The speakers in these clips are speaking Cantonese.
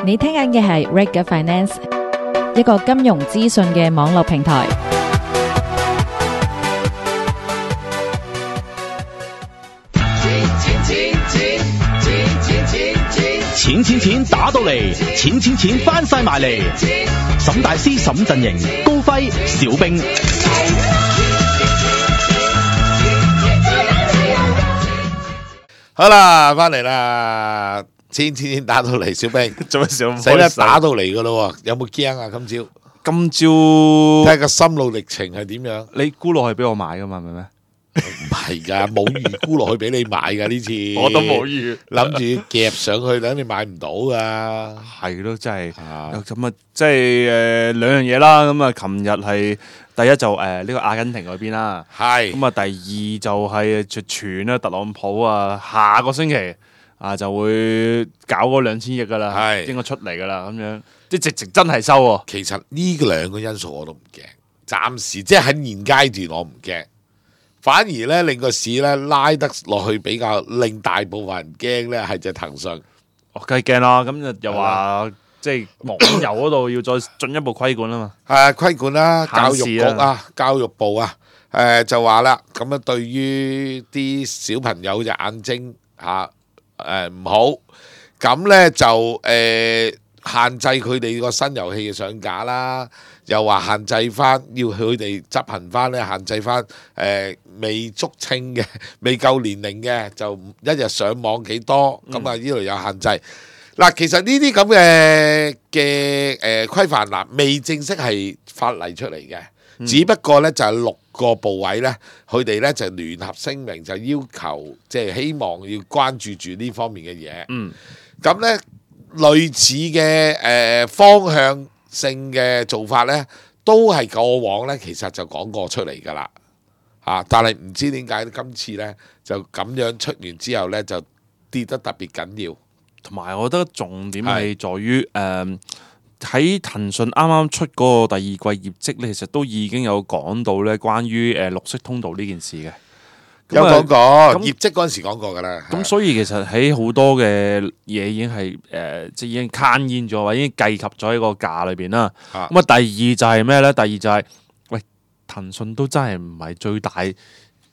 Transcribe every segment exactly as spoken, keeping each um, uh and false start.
你聽緊嘅係 Reg Finance， 一個金融資訊嘅網絡平台。錢錢錢打到嚟，錢錢錢翻晒埋嚟。沈大師沈陣營，高輝小兵。好啦，翻嚟啦，錢錢錢打到嚟，小兵做乜笑咁開心？死啦，打到嚟噶咯，有冇驚啊？今朝今朝睇下個心路歷程係點樣？你沽落去俾我買噶嘛？係咪咩？唔係噶，冇預估落去俾你買噶呢次，我都冇預，諗住夾上去，等你買唔到噶。係咯，真係啊咁啊！即係誒兩樣嘢啦。咁啊，琴日係第一就誒呢個阿根廷嗰邊啦，係咁啊，第二就係就傳啦，特朗普啊，下個星期啊就會搞嗰兩千億噶啦，係應該出嚟噶啦，咁樣即係直直真係收喎。其實呢兩個因素我都唔驚，暫時即係喺現階段我唔驚。反而咧令個市咧拉得落去比較令大部分人驚咧係隻騰訊，我梗係驚啦，咁就又話即係網遊嗰度要再進一步規管啊嘛。係規管啦，教育局限時啊，教育部啊，誒就話啦，咁樣對於啲小朋友隻眼睛嚇誒唔好，咁咧就誒限制佢哋個新遊戲嘅上架啦。又話限制翻，要佢哋執行翻咧，限制翻誒、呃、未足稱嘅、未夠年齡嘅，就一日上網幾多，咁啊呢度有限制。嗱，其實呢啲咁嘅嘅誒規範嗱，未正式係法例出嚟嘅，嗯、只不過咧就係、是、六個部委咧，佢哋咧就聯合聲明，就要求即係、就是、希望要關注住呢方面嘅嘢。嗯，咁咧類似嘅誒、呃、方向性嘅做法呢，都係過往呢，其實就講過出嚟㗎啦，嚇！但係唔知點解今次呢，就咁樣出完之後呢，就跌得特別緊要。同埋我覺得重點係在於誒喺騰訊啱啱出嗰個第二季業績呢，其實都已經有講到呢關於誒綠色通道呢件事嘅。有講過咁業績嗰陣時講過㗎啦。咁所以其實喺好多嘅嘢已經係誒、呃，即係已經攤現咗，或者已經計及咗喺個價裏邊啦。咁啊，第二就係咩咧？第二就係、是、喂，騰訊都真係唔係最大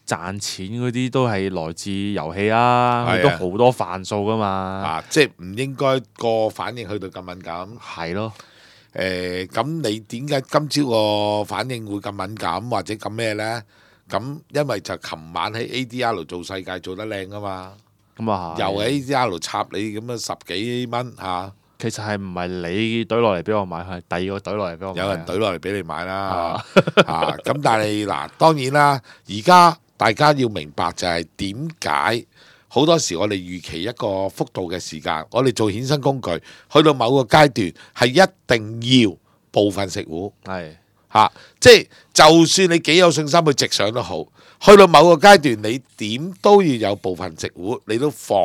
賺錢嗰啲，都係來自遊戲啊，佢都好多範數噶嘛。啊，即係唔應該個反應去到咁敏感。係咯。誒、呃，咁你點解今朝個反應會咁敏感或者咁咩咧？咁因為就琴晚喺 A D R 做世界做得靚啊嘛，咁啊又喺 A D R 插你咁啊十幾蚊嚇，啊、其實係唔係你懟落嚟俾我買，係第二個懟落嚟俾我買。有人懟落嚟俾你買啦嚇，咁、啊、但係嗱當然啦，而家大家要明白就係點解好多時我哋預期一個幅度嘅時間，我哋做衍生工具去到某個階段係一定要部分食糊係。嚇、啊！即係就算你幾有信心去直上都好，去到某個階段，你點都要有部分食糊，你都防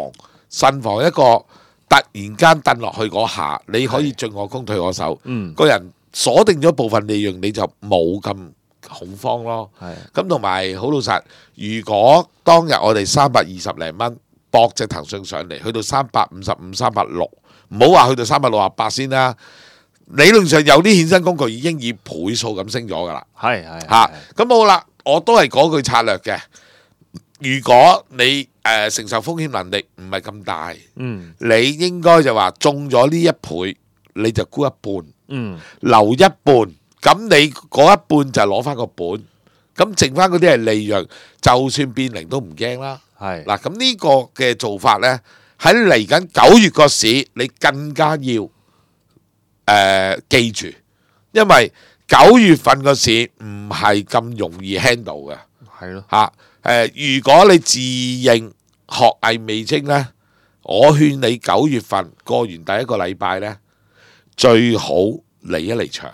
慎防一個突然間掟落去嗰下，你可以進我攻退我守。嗯，個人鎖定咗部分利潤，你就冇咁恐慌咯。係咁，同埋好老實，如果當日我哋三百二十零蚊博隻騰訊上嚟，去到三百五十五、三百六，唔好話去到三百六十八先啦。理論上有啲衍生工具已經以倍數咁升咗㗎啦，係係嚇，咁好啦，我都係嗰句策略嘅。如果你誒、呃、承受風險能力唔係咁大，嗯，你應該就話中咗呢一倍，你就沽一半，嗯，留一半，咁你嗰一半就攞翻個本，咁剩翻嗰啲係利潤，就算變零都唔驚啦。係嗱，咁呢個嘅做法呢，喺嚟緊九月個市，你更加要。誒、呃、記住，因為九月份個市唔係咁容易 handle 嘅，係咯嚇誒。如果你自認學藝未精呢，我勸你九月份過完第一個禮拜呢，最好離一離場，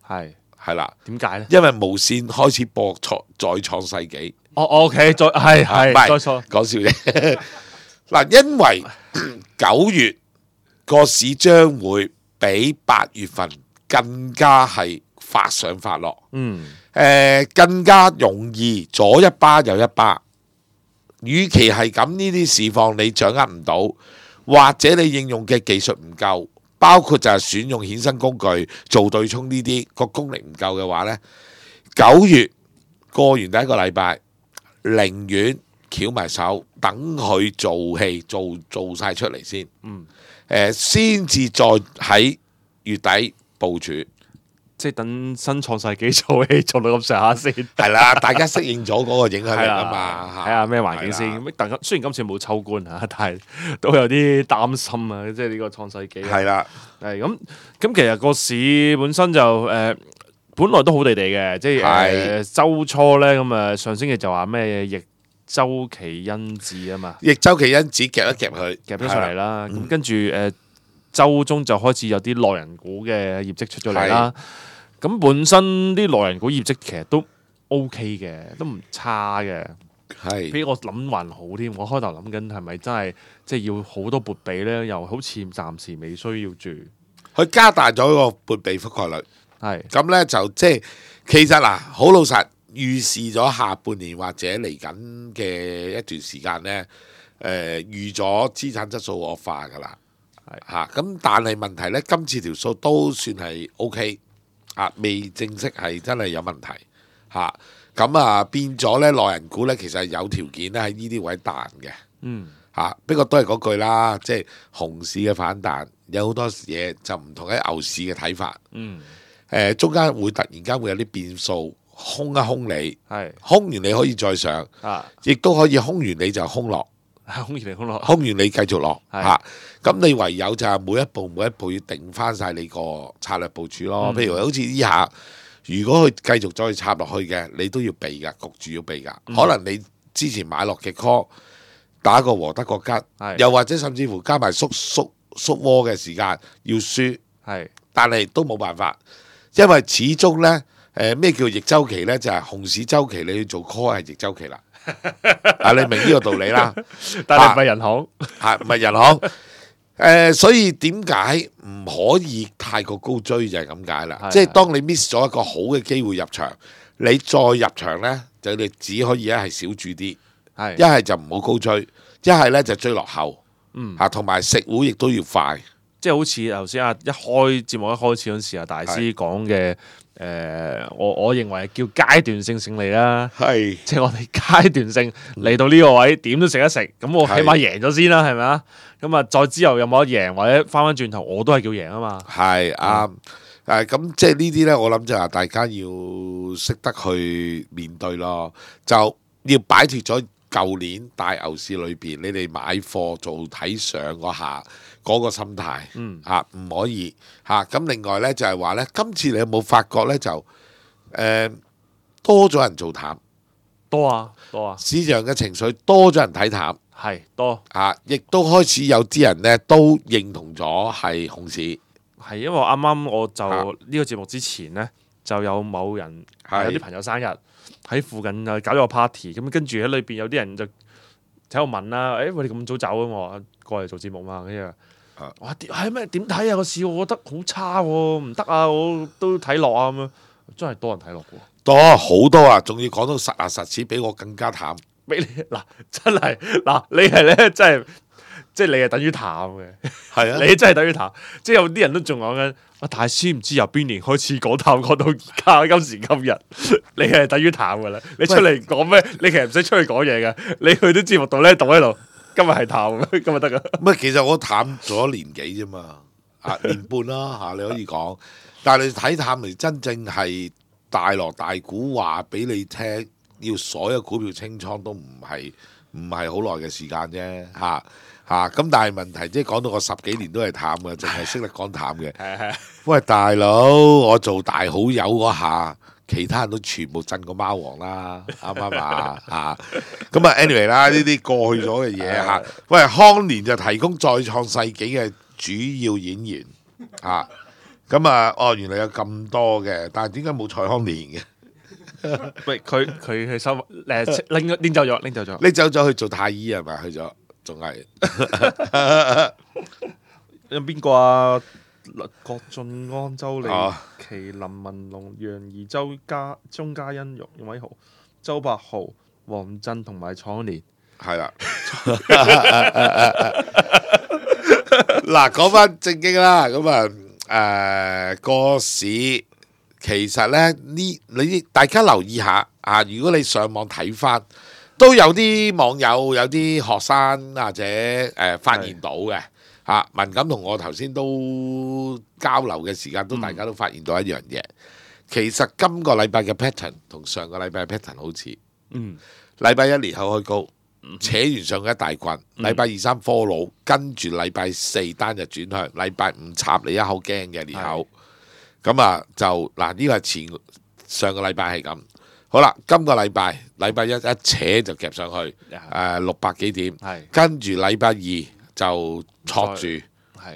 係係啦。點解呢？因為無線開始播創再創世紀。哦 ，OK， 再係係再錯講笑啫。嗱，因為九月個市將會比八月份更加係發上發落，嗯，誒、呃、更加容易左一巴右一巴。與其係咁，呢啲市況你掌握唔到，或者你應用嘅技術唔夠，包括就係選用衍生工具做對沖呢啲個功力唔夠嘅話呢，九月過完第一個禮拜，寧願翹埋手等佢做戲做做曬出嚟先，嗯，誒先至再喺月底部署。即係等新創世紀做戲做到咁上下先，係啦，大家適應咗嗰個影響力啊嘛，睇下咩環境先。咁但雖然今次冇秋官嚇，但係都有啲擔心啊。即係呢個創世紀係啦，係咁咁。其實個市本身就誒、呃，本來都好地地嘅，即係誒週初咧咁啊。上星期就話咩逆周期因子啊嘛，逆周期因子夾一夾佢，夾咗上嚟啦。咁跟住誒週中就開始有啲內人股嘅業績出咗嚟啦。咁本身啲內人股業績其實都 OK 嘅，都唔差嘅，係比我諗還好添。我開頭諗緊係咪真係即係要好多撥備咧，又好似暫時未需要住。佢加大咗個撥備覆蓋率，係咁咧就即係其實嗱，好老實預示咗下半年或者嚟緊嘅一段時間咧，誒、呃、預咗資產質素惡化㗎啦，係嚇。咁但係問題咧，今次條數都算係 OK。啊，未正式係真係有問題嚇，咁啊變咗咧內人股咧，其實有條件咧喺呢啲位彈嘅，嗯嚇。不過都係嗰句啦，即係熊市嘅反彈有好多嘢就唔同喺牛市嘅睇法。嗯，誒中間會突然間會有啲變數，空一空你，係空完你可以再上，啊，亦都可以空完你就空落。空完嚟空落，空完你繼續落係嚇，咁、你唯有就係每一步每一步要定翻晒你個策略部署咯。嗯譬如好似呢下，如果佢繼續再插落去嘅，你都要避噶，焗住要避噶。嗯可能你之前買落嘅 call 打個和得個吉，係又或者甚至乎加埋縮縮縮窩嘅時間要輸，係但係都冇辦法，因為始終呢，誒咩叫逆周期呢？就係、熊市周期你要做 call 係逆周期啦。啊，你明呢個道理啦，但係唔係人行，係唔係人行？誒、呃，所以點解唔可以太過高追就係咁解啦。係即係當你 miss 咗一個好嘅機會入場，你再入場呢，就你只可以一係少注啲，係一係就唔好高追，一係呢就追落後。嗯嚇，同埋食糊亦都要快。即係好似頭先啊，一開節目一開始嗰陣時啊，大師講嘅誒，我我認為叫階段性勝利啦，係即係我哋階段性嚟到呢個位，點都食一食，咁我起碼贏咗先啦，係咪啊？咁啊，再之後有冇得贏或者翻翻轉頭，我都係叫贏啊嘛。係啱。誒咁即係呢啲呢，我諗就係大家要識得去面對咯，就要擺脱咗舊年大牛市裏邊你哋買貨做睇上嗰下嗰個心態，嗯嚇唔可以嚇。咁另外呢，就係話呢，今次你有冇發覺呢？就誒多咗人做淡，多啊多啊，市場嘅情緒多咗人睇淡。係多啊！亦都開始有啲人咧都認同咗係熊市，係因為我啱啱我就啊呢個節目之前呢，就有某人係有啲朋友生日喺附近啊搞咗個 party，咁跟住喺裏邊有啲人就喺度問啦，誒喂你咁早走啊？我話過嚟做節目嘛，跟住啊我話點係咩點睇啊個市？我覺得好差喎，唔得啊！我都睇落啊咁樣，真係多人睇落嘅喎。多好多啊！仲要講到實牙實齒，比我更加淡。俾你嗱，真係嗱，你係咧，真係即係你係等於淡嘅，係啊，你真係等於淡。即係有啲人都仲講緊，啊大師唔知由邊年開始講淡，講到而家今時今日，你係等於淡噶啦。你出嚟講咩？你其實唔使出去講嘢嘅，你去啲節目度咧，讀喺度，今日係淡，今日得噶。唔係，其實我淡咗年幾啫嘛，啊年半啦嚇，你可以講。但係你睇淡嚟，真正係大鑼大鼓話俾你聽。要所有股票清倉都唔係唔係好耐嘅時間啫嚇嚇，咁但係問題即係講到我十幾年都係淡嘅，淨係識得講淡嘅。係係。喂大佬，我做大好友嗰下，其他人都全部震過貓王啦，啱唔啱啊？嚇咁啊，anyway 啦，呢啲過去咗嘅嘢嚇。喂，康年就提供再創世紀嘅主要演員嚇，咁啊哦，原來有咁多嘅，但係點解冇蔡康年嘅？喂，佢佢去收誒拎拎走咗，拎走咗。你走咗去做太醫係咪？去咗，仲係有邊個啊？郭晉安、周麗哦淇、林文龍、楊怡、周家、鐘嘉欣、容偉豪、周柏豪、黃振同埋楚年。係啦。嗱，講翻正經啦，咁啊誒個市其實咧呢，你大家留意下啊，如果你上網睇翻，都有啲網友有啲學生或者誒、呃、發現到嘅嚇、啊，文錦同我頭先都交流嘅時間，都大家都發現到一樣嘢。嗯、其實今個禮拜嘅 pattern 同上個禮拜嘅 pattern 好似，嗯，禮拜一裂口開高。扯完上一大棍，禮拜二三 follow，跟住禮拜四單日轉向，禮拜五插你一口驚嘅裂口，咁啊就嗱呢個係前上個禮拜係咁，好啦，今個禮拜禮拜一一扯就夾上去，誒六百幾點，跟住禮拜二就挫住，係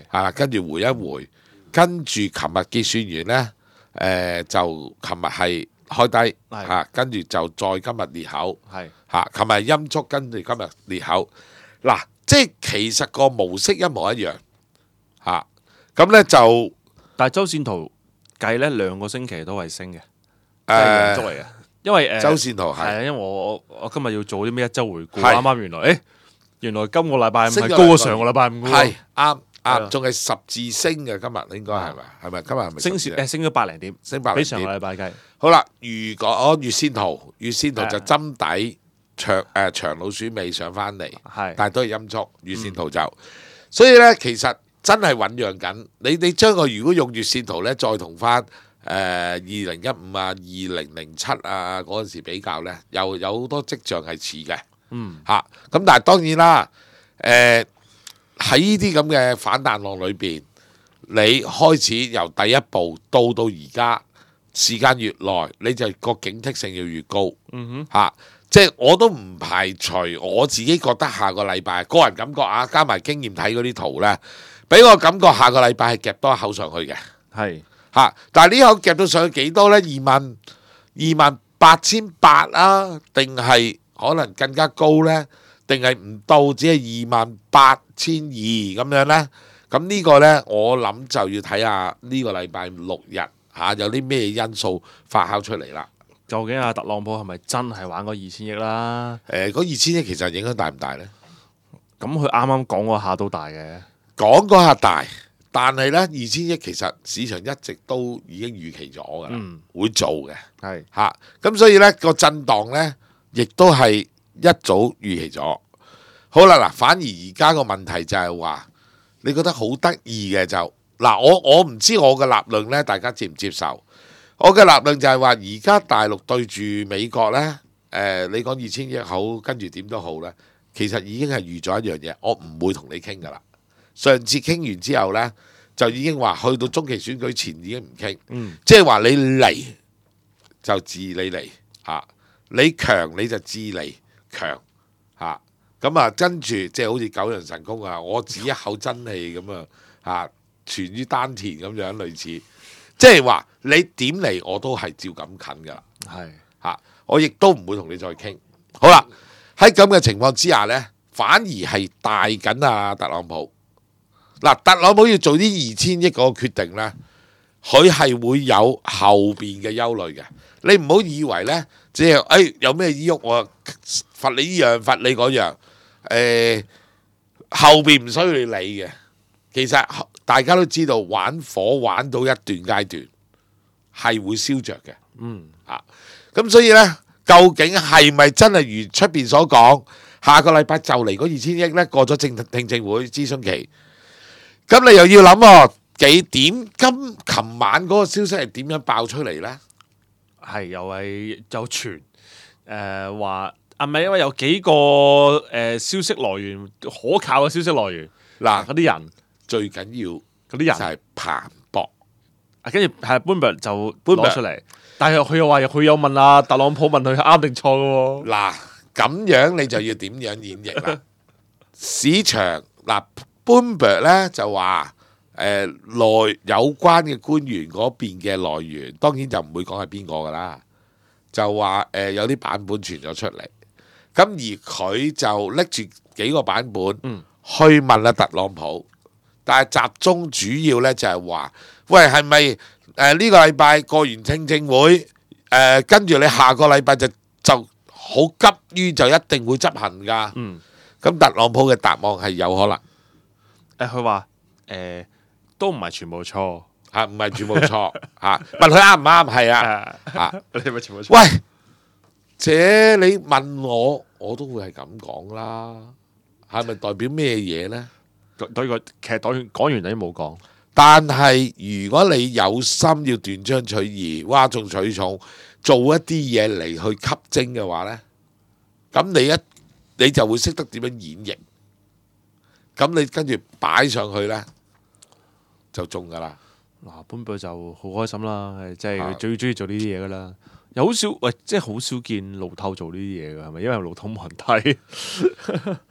啊，跟住回一回，跟住琴日結算完呢，誒就琴日係開低，嚇，跟住就再今日裂口，係。嚇！琴日陰燭，跟住今日裂口，嗱，即係其實個模式一模一樣嚇。咁咧就，但係周線圖計咧兩個星期都係升嘅，誒，足嚟嘅。因為誒，周線圖係係啊，因為我我我今日要做啲咩一週回顧，啱啱原來誒原來今個禮拜五係高過上個禮拜五嘅喎，係啱啱，仲係十字升嘅今日應該係咪？係咪今日係咪升誒升咗百零點，升百零點，比上個禮拜計。好啦，如果我月線圖，月線圖就針底。長誒、呃、長老鼠尾上翻嚟，是但係都係陰燭月線圖就，嗯、所以咧其實真係醖釀緊。你你將個如果用月線圖咧，再同翻誒二零一五啊、二零零七啊嗰陣時比較咧，又有好多跡象係似嘅。嗯，嚇咁、啊，但係當然啦，誒喺呢啲咁嘅反彈浪裏邊，你開始由第一步到到而家時間越耐，你就個警惕性要越高。嗯哼，嚇、啊。即係我都唔排除我自己覺得下個禮拜個人感覺啊，加埋經驗睇嗰啲圖呢，俾我感覺下個禮拜係夾多一口上去嘅，係嚇、啊。但係呢口夾到上去幾多呢？二萬二萬八千八啊，定係可能更加高呢？定係唔到只係二萬八千二咁樣呢？咁呢個呢，我諗就要睇下呢個禮拜六日嚇、啊、有啲咩因素發酵出嚟啦。究竟阿特朗普係咪真係玩嗰二千億啦？誒、呃，嗰二千億其實影響大唔大呢？咁佢啱啱講嗰下都大嘅，講嗰下大，但係呢，二千億其實市場一直都已經預期咗㗎啦，嗯、會做嘅，係嚇是。咁、啊、所以呢個震盪呢，亦都係一早預期咗。好啦，嗱，反而而家個問題就係話，你覺得好得意嘅就嗱，我我唔知我嘅立論呢，大家接唔接受？我嘅立論就係話，而家大陸對住美國呢，誒、呃，你講二千億好，跟住點都好呢，其實已經係預咗一樣嘢，我唔會同你傾噶啦。上次傾完之後呢，就已經話去到中期選舉前已經唔傾，嗯、即係話你嚟就治你嚟嚇、啊，你強你就治你強嚇，咁啊跟住即係好似九陽神功啊，我指一口真氣咁啊嚇，存於丹田咁樣類似。即係話你點嚟我都係照咁近噶啦，係嚇是，我亦都唔會同你再傾。好啦，喺咁嘅情況之下呢，反而係大緊啊特朗普。嗱，特朗普要做啲二千億嗰個決定呢，佢係會有後邊嘅憂慮嘅。你唔好以為呢，即係誒有咩依喐我罰你依樣罰你嗰樣，誒、呃、後邊唔需要你理嘅。其實大家都知道玩火玩到一段階段係會燒着嘅，嗯啊，咁所以呢，究竟係咪真係如出邊所講，下個禮拜就嚟嗰二千億呢？過咗正聽證會諮詢期，咁你又要諗喎幾點？今琴晚嗰個消息係點樣爆出嚟呢？係又係有傳誒話啊，唔係因為有幾個誒、呃、消息來源可靠嘅消息來源嗱嗰啲人。最緊要嗰啲人就係彭博，啊，跟住係 Bloomberg 就攞出嚟，但係佢又話佢有問啊特朗普問佢啱定錯嘅喎。嗱，咁樣你就要點樣演繹啦？市場嗱 Bloomberg 咧就話誒內有關嘅官員嗰邊嘅來源，當然就唔會講係邊個噶啦，就話誒、呃、有啲版本傳咗出嚟，咁而佢就拎住幾個版本、嗯、去問阿特朗普。但係集中主要咧就係話，喂係咪誒呢個禮拜過完聽證會誒、呃，跟住你下個禮拜就就好急於就一定會執行㗎？嗯，咁特朗普嘅答案係有可能。誒佢話誒都唔係全部錯嚇，唔係全部錯嚇。問佢啱唔啱？係啊嚇，你係咪全部錯？喂，這你問我，我都會係咁講啦。係咪代表咩嘢呢？對個其實講完講完你都冇講。但係如果你有心要斷章取義、嘩眾取寵，做一啲嘢嚟去吸睛嘅話呢，咁你一你就會識得點樣演繹，咁你跟住擺上去呢，就中噶啦。嗱，本輩就好開心啦，係即係啊佢最中意做呢啲嘢噶啦。又好少喂，即係好少見路透做呢啲嘢噶，係咪？因為路透冇人睇。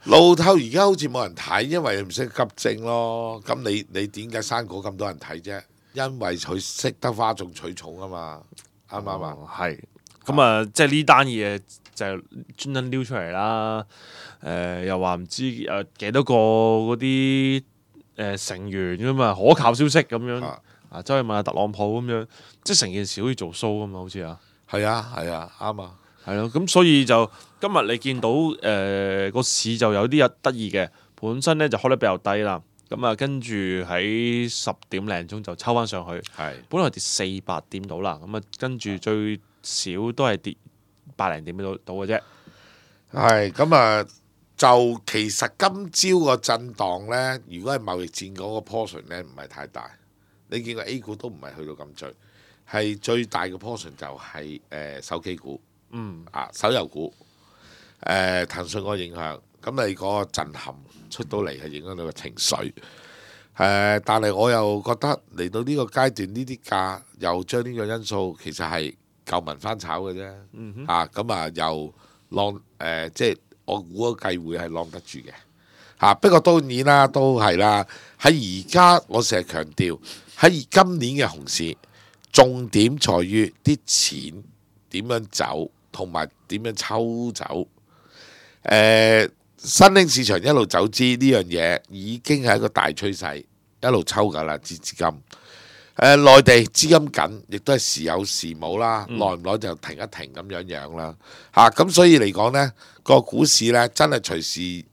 路透而家好似冇人睇，因為唔識急症咯。咁你你點解生果咁多人睇啫？因為佢識得嘩眾取寵啊嘛，啱唔啱啊？係咁啊，即係呢單嘢就係專登撩出嚟啦。誒，又話唔知誒幾多個嗰啲誒成員噶嘛，可靠消息咁樣啊，走去問下特朗普咁樣，即係成件事好似做 show 咁嘛，好似啊。係啊，係啊，啱啊，係咯，咁所以就今日你見到誒個、呃、市就有啲得意嘅，本身咧就開得比較低啦，咁啊跟住喺十點零鐘就抽翻上去，係本來跌四百點到啦，咁啊跟住最少都係跌百零點到到嘅啫。係咁啊，就其實今朝個震盪咧，如果係貿易戰嗰個 portion 咧，唔係太大。你見個 A 股都唔係去到咁最。係最大嘅 portion 就係、是、誒、呃、手機股，嗯啊手遊股，誒、呃、騰訊個影響，咁你嗰個震撼出到嚟係影響到個情緒，誒、呃、但係我又覺得嚟到呢個階段，呢啲價又將呢個因素其實係舊民翻炒嘅啫，嗯哼啊咁啊又浪誒、呃、即係我估個計會係浪得住嘅，嚇、啊、不過當然啦，都係啦，喺而家我成日強調喺今年嘅熊市。重點在於啲錢點樣走，同埋點樣抽走。誒、呃，新興市場一路走資呢樣嘢已經係一個大趨勢，一路抽緊啦，資資金。誒、呃，內地資金緊，亦都係時有時冇啦，耐唔耐就停一停咁樣樣啦。嚇、啊，咁所以嚟講呢個股市呢，真係隨時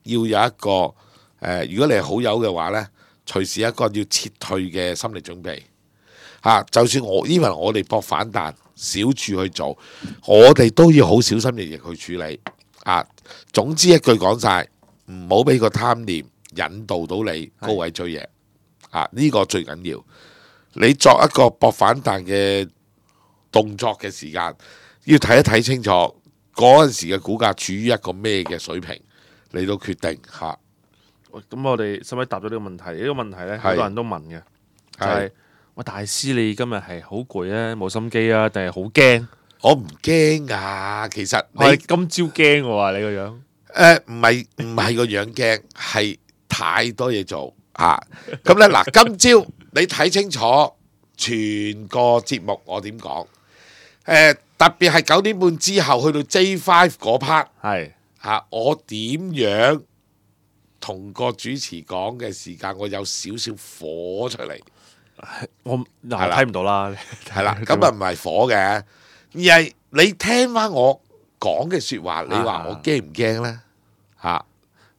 要有一個誒、呃，如果你係好友嘅話呢，隨時一個要撤退嘅心理準備。嚇、啊！就算我因為我哋搏反彈，小處去做，我哋都要好小心翼翼去處理。啊，總之一句講晒，唔好俾個貪念引導到你高位追嘢。啊，呢、這個最緊要。你作一個搏反彈嘅動作嘅時間，要睇一睇清楚嗰陣時嘅股價處於一個咩嘅水平，嚟到決定嚇。咁、啊、我哋使唔使答咗呢個問題？呢、這個問題咧，好多人都問嘅，就係、是。喂，大師，你今日係好攰啊，冇心機啊，定係好驚？我唔驚啊，其實你我今朝驚喎，你個樣誒唔係唔係個樣驚，係太多嘢做嚇。咁咧嗱，今朝你睇清楚全個節目我點講？誒、呃、特別係九點半之後去到 J 五 嗰 part 係嚇，我點樣同個主持講嘅時間，我有少少火出嚟。我嗱睇唔到啦，係啦，咁啊唔係火嘅，而係你聽翻我講嘅説話，你話我驚唔驚咧？嚇，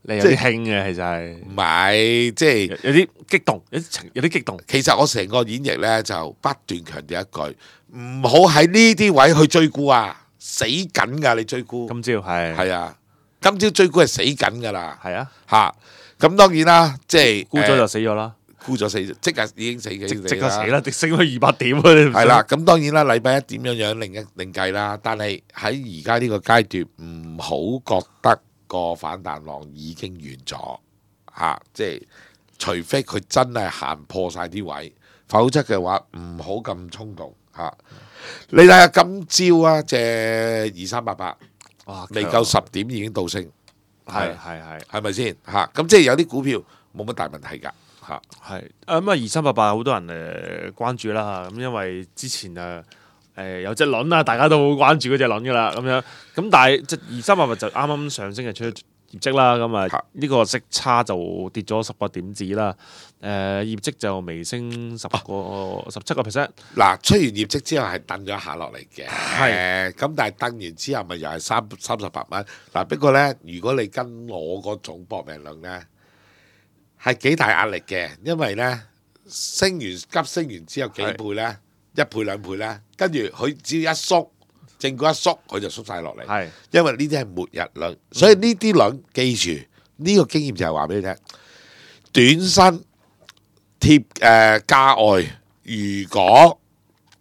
你有啲興嘅，其實係唔係即係有啲激動，有啲情有啲激動。其實我成個演繹咧就不斷強調一句，唔好喺呢啲位去追沽啊，死緊㗎！你追沽，今朝係係啊，今朝追沽係死緊㗎啦，係啊嚇。咁當然啦，即係沽咗就死咗啦。沽咗死，即刻已經死嘅，即刻死啦！跌升咗二百點啊！你係啦，咁當然啦，禮拜一點樣樣另一另計啦。但係喺而家呢個階段，唔好覺得個反彈浪已經完咗嚇、啊，即係除非佢真係行破晒啲位，否則嘅話唔好咁衝動嚇、啊。你睇下今朝啊，隻二三八八，哇，未夠十點已經倒升，係係係，係咪先嚇？咁即係有啲股票冇乜大問題㗎。嚇，係啊咁啊！二三八八好多人誒關注啦，咁因為之前誒誒有隻輪啦，大家都好關注嗰隻輪噶啦，咁樣咁但係即二三八八就啱啱上升嘅出業績啦，咁啊呢個息差就跌咗十個點子啦，誒、呃、業績就微升十個十七個 percent。嗱，出完業績之後係掟咗下落嚟嘅，係咁，但係掟完之後咪又係三三十八蚊。嗱，不過咧，如果你跟我嗰種搏命論咧，係幾大壓力嘅，因為咧升完急升完之後幾倍咧，一倍兩倍咧，跟住佢只要一縮，正股一縮，佢就縮晒落嚟。係，因為呢啲係末日輪，所以呢啲輪記住呢、這個經驗就係話俾你聽，短身貼誒價外，如果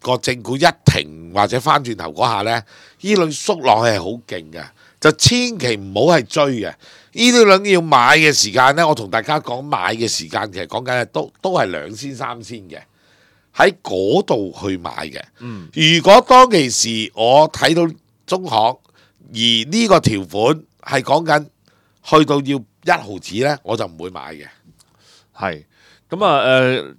個正股一停或者翻轉頭嗰下咧，呢輪縮落去係好勁嘅，就千祈唔好係追嘅。呢啲輪要買嘅時間咧，我同大家講買嘅時間，其實講緊係都都係兩千三千嘅，喺嗰度去買嘅。嗯，如果當其時我睇到中行，而呢個條款係講緊去到要一毫子咧，我就唔會買嘅。係。咁啊誒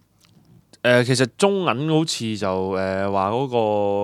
誒，其實中銀好似就誒話嗰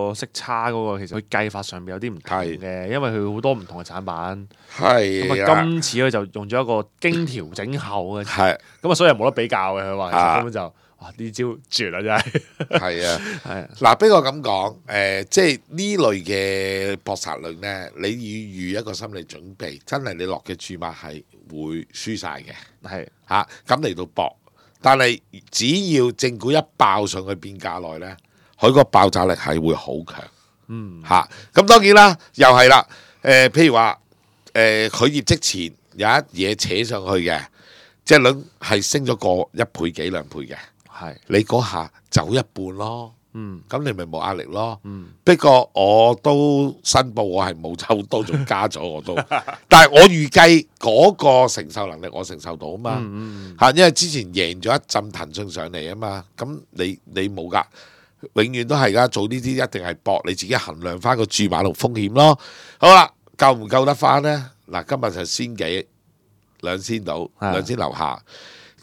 個息差嗰個，其實佢計法上面有啲唔同嘅，因為佢好多唔同嘅產品。係咁啊，今次佢就用咗一個經調整後嘅，係咁啊，所以冇得比較嘅。佢話其實啊根本就哇呢招絕啦，真係。係啊，係啊，嗱，俾我咁講，誒、即係呢類嘅搏殺論咧，你要預一個心理準備，真係你落嘅注碼係會輸晒嘅係嚇，咁嚟到搏。但係只要正股一爆上去變價內咧，佢個爆炸力係會好強。嗯嚇，咁、當然啦，又係啦，誒、譬如話誒佢業績前有一嘢扯上去嘅，即係輪係升咗個一倍幾兩倍嘅，係你嗰下走一半咯。嗯咁你咪冇壓力咯。嗯不過我都申報我係冇抽多，仲加咗我都。但係我預計嗰個承受能力我承受到啊嘛。嚇、嗯因為之前贏咗一陣騰訊上嚟啊嘛。咁你你冇㗎，永遠都係㗎。做呢啲一定係搏你自己衡量翻個注碼同風險咯。好啦，夠唔夠得翻呢？嗱，今日就先幾兩千到，係兩千樓下。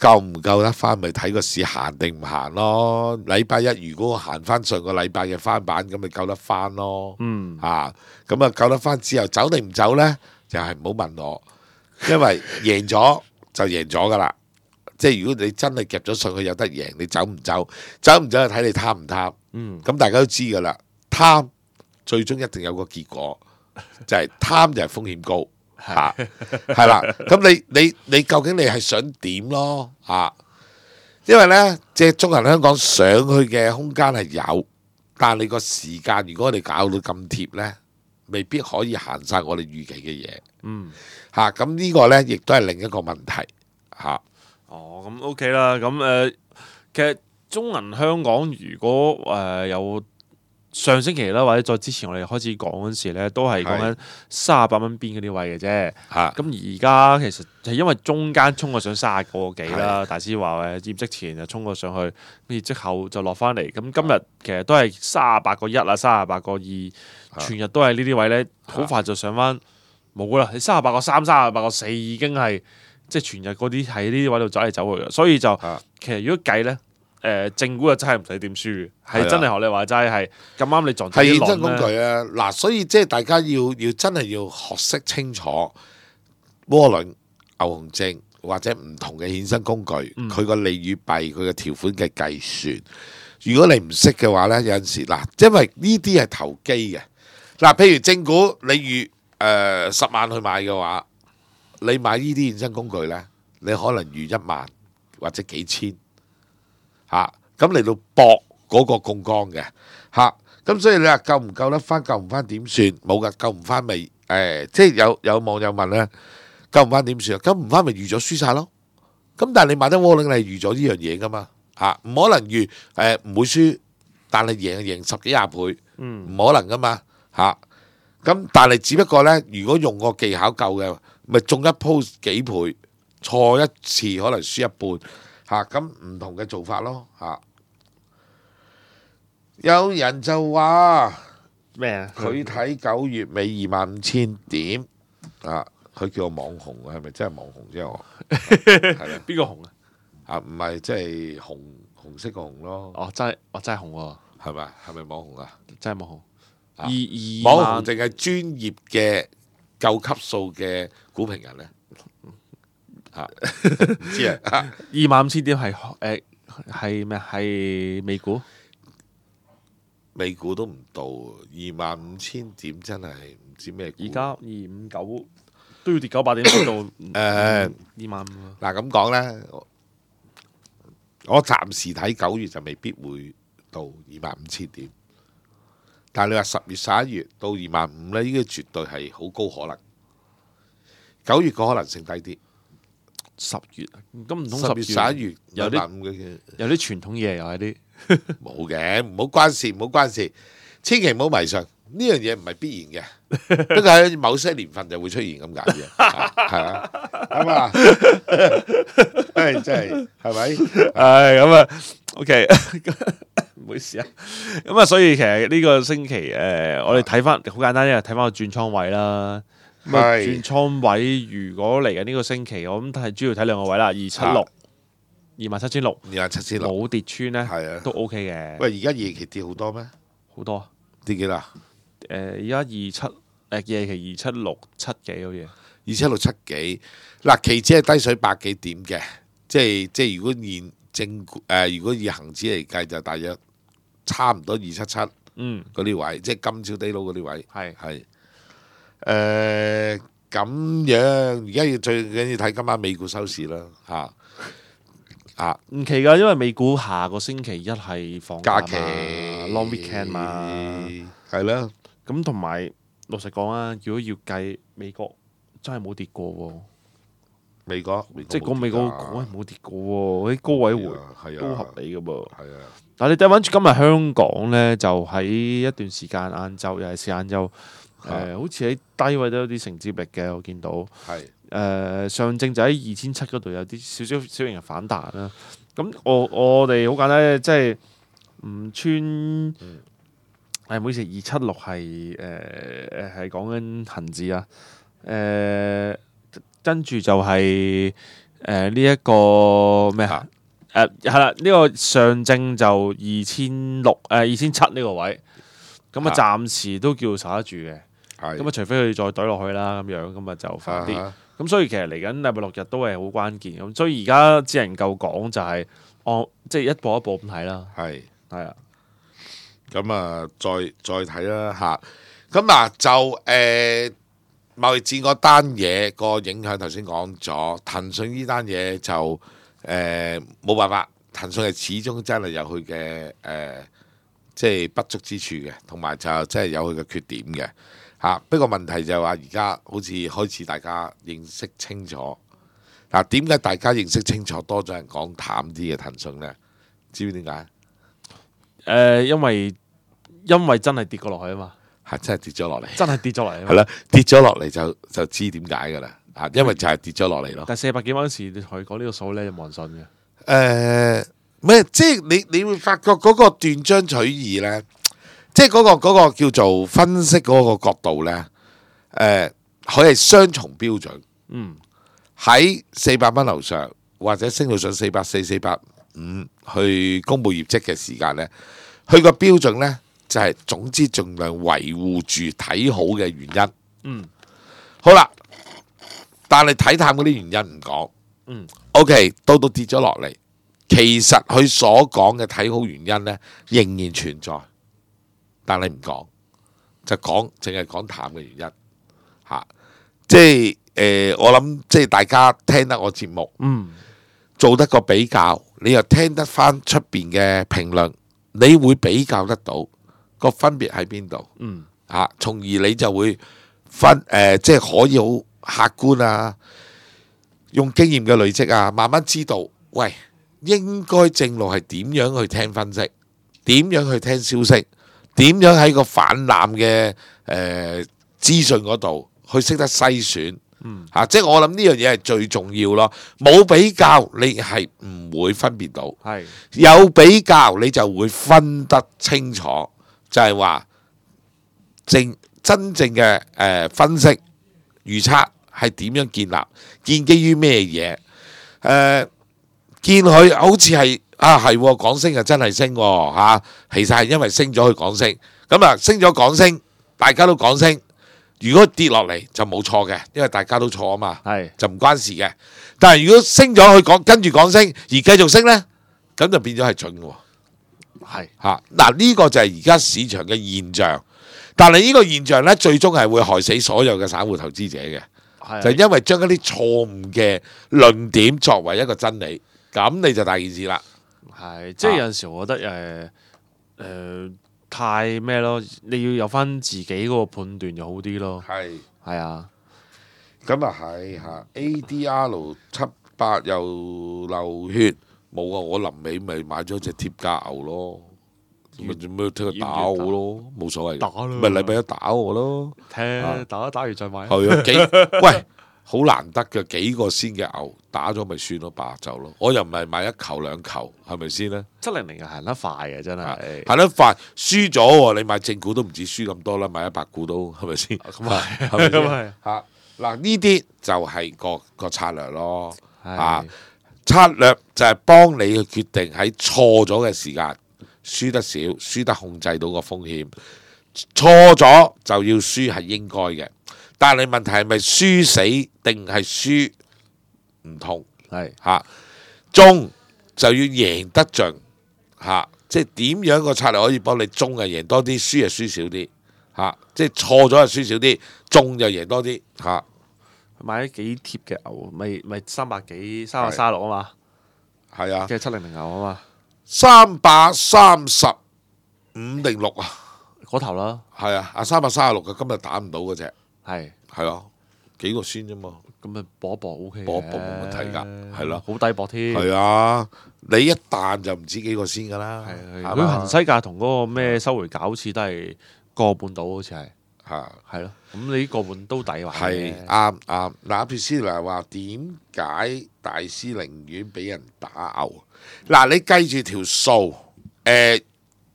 夠唔夠得翻咪睇個市行定唔行咯？禮拜一如果我行翻上個禮拜嘅翻版，咁咪夠得翻咯。嗯啊，咁啊夠得翻之後走定唔走呢？就係唔好問我，因為贏咗就贏咗噶啦。即係如果你真係夾咗上去有得贏，你走唔走？走唔走就睇你貪唔貪。嗯咁大家都知噶啦，貪最終一定有個結果，就係貪就係風險高。嚇，係啦，咁你你你究竟你係想點咯？啊，因為呢，即係中銀香港上去嘅空間係有，但係你個時間如果我哋搞到咁貼呢，未必可以行晒我哋預期嘅嘢。嗯。嚇，咁呢個呢，亦都係另一個問題。嚇，哦，咁 OK 啦。咁誒、呃，其實中銀香港如果誒、呃、有上星期啦，或者再之前我哋開始講嗰陣時咧，都係講緊三十八蚊邊嗰啲位嘅啫。嚇，咁而家其實係因為中間衝過上三十個幾啦，大師話誒業績前就衝過上去，業績後就落翻嚟。咁今日其實都係三十八個一啊，三十八個二，全日都係呢啲位咧，好快就上翻冇啦。你三十八個三、三十八個四已經係即係全日嗰啲喺呢啲位度走嚟走去嘅，所以就其實如果計咧。誒正股就真係唔使點輸嘅，係真係學你話齋係咁啱你撞到啲係衍生工浪咧。具啊！嗱，所以即係大家要要真係要學識清楚窩輪、牛熊證或者唔同嘅衍生工具，佢個利與弊、佢嘅條款嘅計算。如果你唔識嘅話咧，有陣時嗱，因為呢啲係投機嘅。嗱，譬如正股你預誒十萬去買嘅話，你買呢啲衍生工具咧，你可能預一萬或者幾千。嚇，咁嚟到搏嗰個槓桿嘅嚇，咁所以你話夠唔夠得翻？夠唔翻點算？冇噶，夠唔翻咪誒，即係有有網友問咧，夠唔翻點算啊？夠唔翻咪預咗輸晒咯。咁但係你買得窩輪，你係預咗呢樣嘢噶嘛嚇，唔可能預誒唔會輸，但係贏贏十幾廿倍，唔可能噶嘛嚇。咁但係只不過咧，如果用個技巧夠嘅，咪中一鋪幾倍，錯一次可能輸一半。嚇，咁唔同嘅做法咯嚇，有人就話咩啊？佢睇九月尾二萬五千點啊，佢叫我網紅啊，係咪真係網紅啫？我係啦，邊個紅啊？啊唔係即係紅紅色個紅咯，哦，真係，哦真係紅喎，係咪？係咪網紅啊？真係網紅。啊二二萬網紅淨係專業嘅夠級數嘅股評人咧。嚇，唔知啊！二萬五千點係誒係咩？係美股，美股都唔到二萬五千點，真係唔知咩股。而家二五九都要跌九百點先到誒誒二萬五。嗱咁講咧，我暫時睇九月就未必會到二萬五千點，但係你話十月、十一月到二萬五呢，呢個絕對係好高可能。九月個可能性低啲，十月咁唔通十月、十十一月有啲兩萬五嘅有啲傳統嘢又係啲冇嘅，唔好關事，唔好關事，千祈唔好迷信，呢樣嘢唔係必然嘅，不過喺某些年份就會出現咁解嘅，係啊，咁啊，誒真係係咪？係咁啊，OK，唔好意思啊。咁啊，所以其實呢個星期誒、呃，我哋睇翻好簡單，因為睇翻個轉倉位啦。咁啊，轉倉位如果嚟緊呢個星期，我諗係主要睇兩個位啦，二七六、二萬七千六、二萬七千六，冇跌穿咧，係啊，都 OK 嘅。喂，而家夜期跌好多咩？好多跌幾多？誒，而家二七誒夜期二七六七幾好似，二七六七幾嗱，期指係低水百幾點嘅，即係即係如果現正誒、呃，如果以恒指嚟計就大約差唔多二七七嗯嗰啲位，即係今朝低佬嗰啲位，係係誒咁樣。而家要最緊要睇今晚美股收市啦，嚇啊唔奇㗎，因為美股下個星期一係放假假期嘛 long weekend 嘛，係啦，咁同埋老實講啊，如果要計美國真係冇跌過喎。美國即係講美國講係冇跌過喎，啲高位回係啊都合理嘅噃。係啊，但係你睇翻今日香港咧，就喺一段時間晏晝，尤其是晏晝，誒好似喺低位都有啲承接力嘅，我見到。係誒上證就喺二千七嗰度有啲少少小型嘅反彈啦。咁我我哋好簡單，即係唔穿。誒唔好意思，二七六係誒誒係講緊恆指啊，誒。跟住就係誒呢一個咩啊？誒係啦，呢個上證就二千六誒二千七呢個位，咁啊暫時都叫守得住嘅。咁啊，除非佢再懟落去啦，咁樣咁啊就快啲。咁所以其實嚟緊禮拜六日都係好關鍵。咁所以而家只能夠講就係按即係一步一步咁睇啦。係係啊。咁啊，再再睇啦嚇。咁啊就誒。貿易戰嗰單嘢個影響頭先講咗，騰訊呢單嘢就誒冇、呃、辦法，騰訊係始終真係有佢嘅誒，即係不足之處嘅，同埋就真係有佢嘅缺點嘅嚇。不過問題就係話而家好似開始大家認識清楚嗱，點解大家認識清楚多咗人講淡啲嘅騰訊呢？知唔知點解？誒、呃，因為因為真係跌過落去啊嘛。係真係跌咗落嚟，真係跌咗落嚟。係啦，跌咗落嚟就就知點解㗎啦。啊，因為就係跌咗落嚟咯。但係四百幾蚊時，你同佢講呢個數咧，就冇人信嘅。誒咩？即係你你會發覺嗰個斷章取義咧，即係嗰個嗰個叫做分析嗰個角度咧。誒，佢係雙重標準。嗯，喺四百蚊樓上或者升到上四百四、四百五去公佈業績嘅時間咧，佢個標準咧。就係總之盡量維護住睇好嘅原因。嗯，好啦，但係睇淡嗰啲原因唔講。嗯 ，OK， 到到跌咗落嚟，其實佢所講嘅睇好原因呢，仍然存在，但係唔講，就講淨係講淡嘅原因嚇、啊。即係誒、呃，我諗即係大家聽得我節目，嗯，做得個比較，你又聽得翻出邊嘅評論，你會比較得到。個分別喺邊度？嗯，嚇，從而你就會分誒、呃，即係可以好客觀啊，用經驗嘅累積啊，慢慢知道，喂，應該正路係點樣去聽分析，點樣去聽消息，點樣喺個泛濫嘅誒資訊嗰度去識得篩選。嗯，嚇、啊，即係我諗呢樣嘢係最重要咯。冇比較，你係唔會分別到；係有比較，你就會分得清楚。就係話正真正嘅誒、呃、分析預測係點樣建立，建基於咩嘢？誒、呃，見佢好似係啊係講升啊真係升喎、啊、其實係因為升咗佢講升，咁啊升咗講升，大家都講升。如果跌落嚟就冇錯嘅，因為大家都錯啊嘛，係就唔關事嘅。但係如果升咗佢講跟住講升而繼續升呢，咁就變咗係準喎。係嚇嗱，呢個就係而家市場嘅現象，但係呢個現象呢，最終係會害死所有嘅散戶投資者嘅，就係因為將一啲錯誤嘅論點作為一個真理，咁你就大件事啦。係，即係有陣時我覺得誒誒太咩咯，你要有翻自己嗰個判斷就好啲咯。係係啊，咁啊係嚇 A D R 七八又流血，冇啊！我臨尾咪買咗隻貼價牛咯，咪做咩聽佢打我咯，冇所謂。打咯，咪禮拜一打我咯，聽打打完再買。係啊，幾喂好難得嘅幾個先嘅牛打咗咪算咯，白就咯。我又唔係買一球兩球，係咪先咧？七零零係行得快嘅，真係行得快，輸咗喎！你買正股都唔止輸咁多啦，買一百股都係咪先？咁係，係咪先？咁係嚇嗱，呢啲就係個個策略咯。啊，係策略就係幫你去決定喺錯咗嘅時間，輸得少，輸得控制到個風險。錯咗就要輸係應該嘅，但係問題係咪輸死定係輸唔同？係嚇，中就要贏得盡嚇，即係點樣個策略可以幫你中啊贏多啲，輸啊輸少啲嚇，即係錯咗就輸少啲，中就贏多啲嚇。買咗幾貼嘅牛，咪咪三百幾三百三十六啊嘛，係啊，即係七零零牛啊嘛，三百三十五定六啊，嗰頭啦，係啊，啊三百三十六嘅今日打唔到嗰隻，係係啊，幾個先啫嘛，咁咪搏一搏 O K 嘅，搏一搏冇問題㗎，係咯，好抵搏添，係啊，你一彈就唔知幾個先㗎啦，係係佢恒西價同嗰個咩收回價好似都係個半到，好似係。嚇。係咯，咁你呢個半都抵玩嘅係啱啱嗱，撇斯嚟話點解大師寧願俾人打牛？嗱，你計住條數，誒，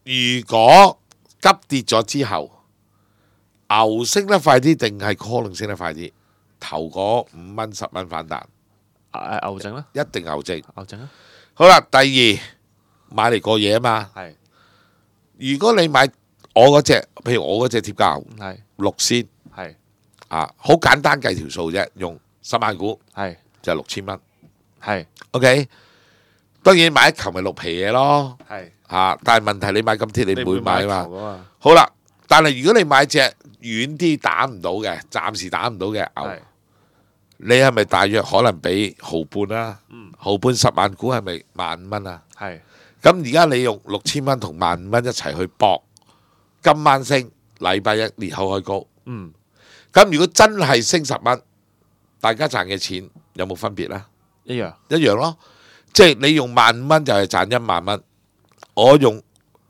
如果急跌咗之後，牛升得快啲定係 call 升得快啲？頭嗰五蚊十蚊反彈，誒牛證啦，一定牛證。牛證啦，好啦，第二買嚟過夜啊嘛。係如果你買我嗰隻，譬如我嗰隻貼價牛係六仙係啊，好簡單計條數啫，用十萬股係就係六千蚊。係 OK，當然買一球咪六皮嘢咯係，嚇，但係問題你買咁貼你唔會買啊嘛。嘛，好啦，但係如果你買隻遠啲打唔到嘅，暫時打唔到嘅牛，係你係咪大約可能俾毫半啊？嗯毫半十萬股係咪萬五蚊啊？係咁而家你用六千蚊同萬五蚊一齊去搏，今晚升，禮拜一裂口開高。嗯咁如果真係升十蚊，大家賺嘅錢有冇分別咧？一樣一樣咯，即係你用萬五蚊就係賺一萬蚊，我用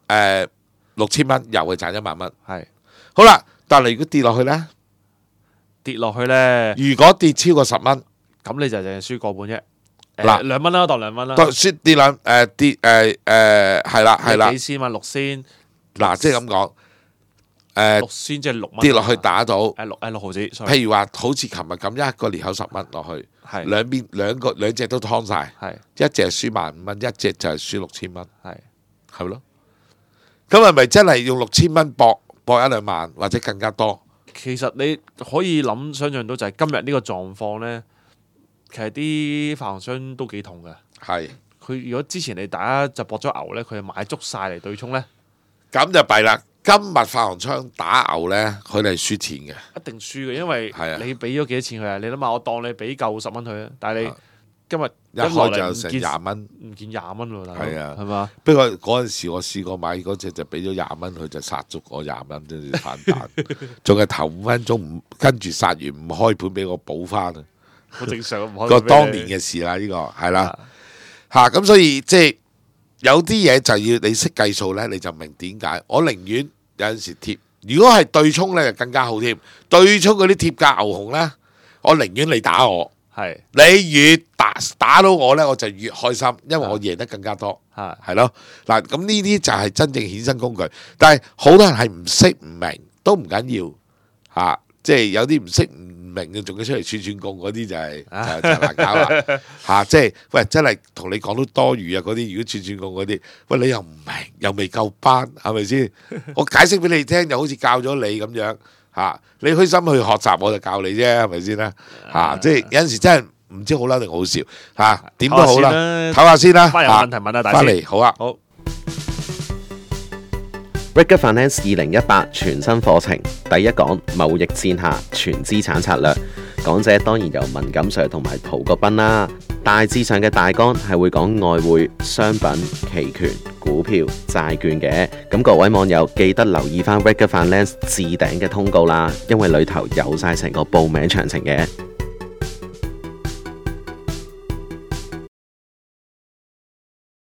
誒六千蚊又係賺一萬蚊。係好啦，但係如果跌落去呢？跌落去咧，如果跌超過十蚊，咁你就淨係輸個半啫。嗱誒兩蚊啦，當兩蚊啦，當輸跌兩誒跌誒誒係啦係啦幾，千蚊六仙，嗱即係咁講誒六仙即係六蚊跌落去打到，誒六誒六毫子，sorry，譬如話好似琴日咁一個裂口十蚊落去，係兩邊兩個兩隻都劏晒，係一隻係輸萬五蚊，一隻就係輸六千蚊，係係咪咯？咁係咪真係用六千蚊搏搏一兩萬或者更加多？其實你可以諗想像到就係今日呢個狀況咧，其實啲發行商都幾痛嘅。係。佢如果之前你大家就搏咗牛咧，佢係買足晒嚟對沖咧，咁就弊啦！今日發行商打牛呢，佢哋係輸錢嘅。一定輸嘅，因為係啊你俾咗幾多錢佢啊？你諗下，我當你俾夠十蚊佢啊，但係你啊今日一開就成廿蚊，唔見廿蚊喎，大佬係啊係嘛？不過嗰陣時我試過買嗰隻就俾咗廿蚊，佢就殺足我廿蚊，跟住反彈，仲係頭五分鐘唔跟住殺完唔開盤俾我補翻啊！好正常，唔可以個俾你當年嘅事啦，呢、個係啦嚇，咁、所以即係有啲嘢就要你識計數呢，你就明點解。我寧願有陣時貼，如果係對沖呢，就更加好添。對沖嗰啲貼價牛熊呢，我寧願你打我。係你越打打到我呢，我就越開心，因為我贏得更加多，係係咯。嗱，咁呢啲就係真正衍生工具。但係好多人係唔識唔明，都唔緊要嚇，即係有啲唔識唔明嘅，仲要出嚟串串貢嗰啲就係就就難搞啦嚇。即係喂，真係同你講到多餘啊嗰啲，如果串串貢嗰啲，喂你又唔明，又未夠班，係咪先？我解釋俾你聽，就好似教咗你咁樣。嚇！你虛心去學習，我就教你啫，係咪先啦？嚇！即係有陣時真係唔知好嬲定好笑嚇，點都好啦，唞下先啦。翻有問題問啊，大師翻嚟好啊。好。Regular Finance 二零一八全新課程，第一講貿易戰下全資產策略，講講者當然由文錦 Sir 同埋陶國斌啦。大致上嘅大綱係會講外匯、商品、期權、股票、債券嘅。咁各位網友記得留意翻 Regular Finance 置頂嘅通告啦，因為裏頭有晒成個報名詳情嘅。